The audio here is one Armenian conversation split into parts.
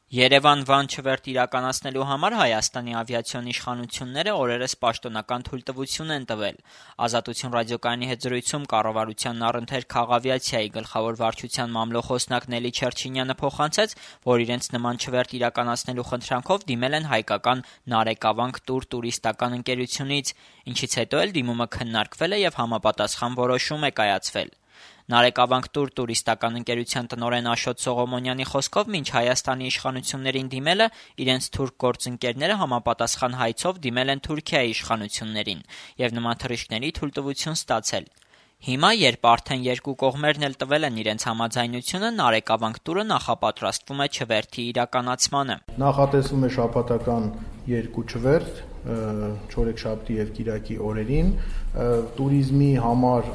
Երևան-Վան չվերթ իրականացնելու համար Հայաստանի ավիացիոն իշխանությունները օրերս պաշտոնական թույլտվություն են տվել։ Ազատություն ռադիոկայանի հետ զրույցում կառավարության առընթեր քաղավիացիայի գլխավոր վարչության մամլոխոսնակ Նելի Չերչինյանը փոխանցեց, որ իրենց նման չվերթ իրականացնելու խնդրանքով դիմել են հայկական Նարեկավանք տուր տուրիստական ընկերությունից, ինչից հետո էլ դիմումը քննարկվել է եւ համապատասխան որոշում է կայացվել։ Նարեկավանք տուր տուրիստական ընկերության տնօրեն Աշոտ Սողոմոնյանի խոսքով մինչ Հայաստանի իշխանություններին դիմելը իրենց թուրք գործընկերները համապատասխան հայցով դիմել են Թուրքիայի իշխանություններին եւ նման թռիչքների թույլտվություն ստացել։ Հիմա, երբ արդեն երկու կողմերն էլ տվել են իրենց համաձայնությունը, Նարեկավանք տուրը նախապատրաստվում է չվերթի իրականացմանը։ Նախատեսվում է շաբաթական 2 չվերթ չորեքշաբթի եւ կիրակի օրերին։ Տուրիզմի համար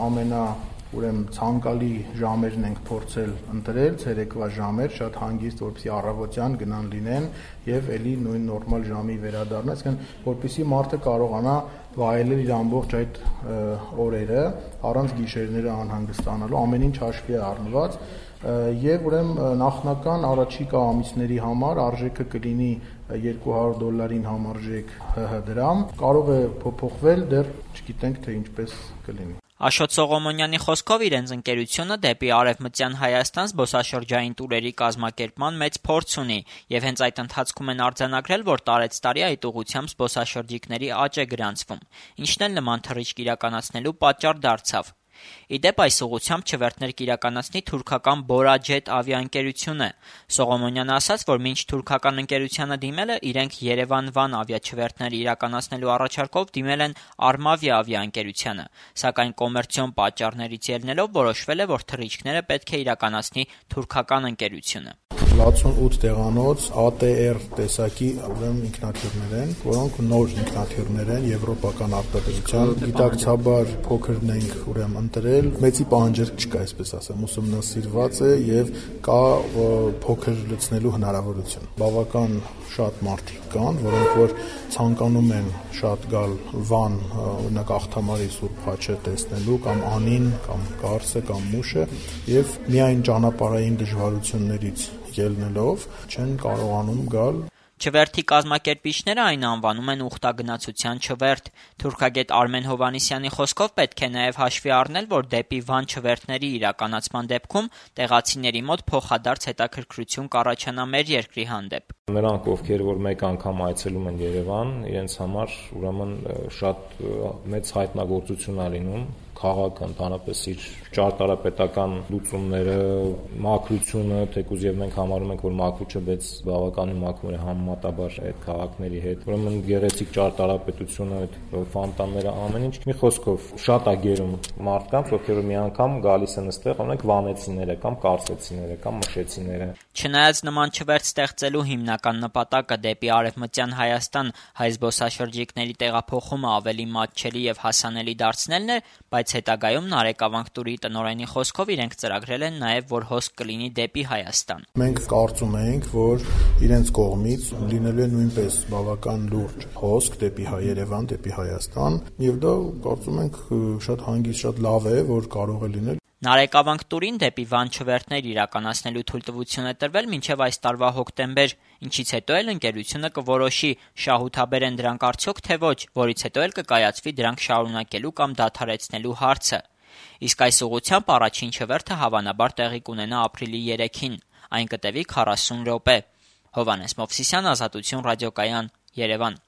ցանկալի ժամերն ենք փորձել ընտրել, ցերեկվա ժամեր, շատ հանգիստ, որպեսզի առավոտյան գնան լինեն եւ էլի նույն նորմալ ժամի վերադառնան, այսինքն որպեսզի մարդը կարողանա վայելել իր ամբողջ այդ օրերը առանց գիշերները անհանգստանալու, ամեն ինչ հաշվի է առնված եւ նախնական առաջիկա ամիսների համար արժեքը կլինի $200 համարժեք ՀՀ դրամ, կարող է փոփոխվել, դեռ չգիտենք թե ինչպես կլինի։ Աշոտ Սողոմոնյանի խոսքով իրենց ընկերությունը դեպի Արևմտյան Հայաստան զբոսաշրջային տուրերի կազմակերպման մեծ փորձ ունի եւ հենց այդ ընթացքում են արձանագրել, որ տարեցտարի այդ ուղղությամբ զբոսաշրջիկների աճ է գրանցվում, ինչն էլ նման թռիչք իրականացնելու պատճառ դարձավ։ Ի դեպ, այս ուղղությամբ չվերթներ կիրականացնի թուրքական Borajet ավիաընկերությունը։ Սողոմոնյանը ասաց, որ մինչ թուրքական ընկերությանը դիմելը իրենք Երևան-Վան ավիաչվերթներ իրականացնելու առաջարկով դիմել են Armavia ավիաընկերությանը, սակայն կոմերցիոն պատճառներից ելնելով որոշվել է, որ թռիչքները պետք է իրականացնի թուրքական ընկերությունը։ 68 տեղանոց ATR տեսակի ինքնաթիռներ են, որոնք նոր ինքնաթիռներ են, եվրոպական արտադրության, գիտակցաբար փոքրն ենք ընտրել, մեծի պահանջարկ չկա, այսպես ասեմ, ուսումնասիրված է եւ կա փոքր լցնելու հնարավորություն։ Բավական շատ մարդիկ կան, որոնք որ ցանկանում են շատ գալ Վան, օրինակ Աղթամարի Սուրբ Խաչը տեսնելու կամ Անին, կամ Կարսը, կամ Մուշը եւ միայն ճանապարհային դժվարություններից ելնելով չեն կարողանում գալ։ Չվերթի կազմակերպիչները այն անվանում են ուխտագնացության չվերթ։ Թուրքագետ Արմեն Հովհաննիսյանի խոսքով պետք է նաև հաշվի առնել, որ դեպի Վան չվերթների իրականացման դեպքում տեղացիների մոտ փոխադարձ հետաքրքրություն կառաջանա մեր երկրի հանդեպ։ Նրանք, ովքեր որ մեկ անգամ այցելում են Երևան, իրենց համար ուրեմն շատ մեծ հայտնագործություն է լինում քաղաքը ընդհանրապես իր ճարտարապետական լուծումները, մաքրությունը, թեկուզ եւ մենք համարում ենք, որ մաքրուչը բայց բավականին մաքուր է համեմատաբար այդ քաղաքների հետ։ Ուրեմն գեղեցիկ ճարտարապետությունը, այդ ֆոնտանները, ամեն ինչ։ Մի խոսքով շատ է գերում մարդկանց, ովքեր մի անգամ գալիս են այստեղ, օրինակ վանեցիները կամ կարսեցիները կամ մշեցիները։ Չնայած նման չվերթ ստեղծելու հիմնական նպատակը դեպի Արևմտյան Հայաստան հայ զբոսաշրջիկների տեղափոխումը ավելի մատչելի եւ հասանելի դարձնելն է, բայց հետագայում Նարեկավանք տուրի տնօրենի խոսքով իրենք ծրագրել են նաև, որ հոսք կլինի դեպի Հայաստան։ Մենք կարծում ենք, որ իրենց կողմից լինելու է նույնպես բավական լուրջ հոսք դեպի Երևան, դեպի Հայաստան, եւ դա կարծում ենք շատ հանգիստ, շատ լավ է, որ կարող է լինել։ Նարեկավանք տուրին դեպի Վան չվերթներ իրականացնելու թույլտվություն է տրվել մինչև այս տարվա հոկտեմբեր, ինչից հետո էլ ընկերությունը կորոշի շահութաբեր են դրանք արդյոք թե ոչ, որից հետո էլ կկայացվի դրանք շարունակելու կամ դադարեցնելու հարցը։ Իսկ այս ուղղությամբ առաջին չվերթը հավանաբար տեղի կունենա ապրիլի 3-ին, այն կտևի 40 րոպե։ Հովհաննես Մովսիսյան, Ազատություն ռադիոկայան, Երևան։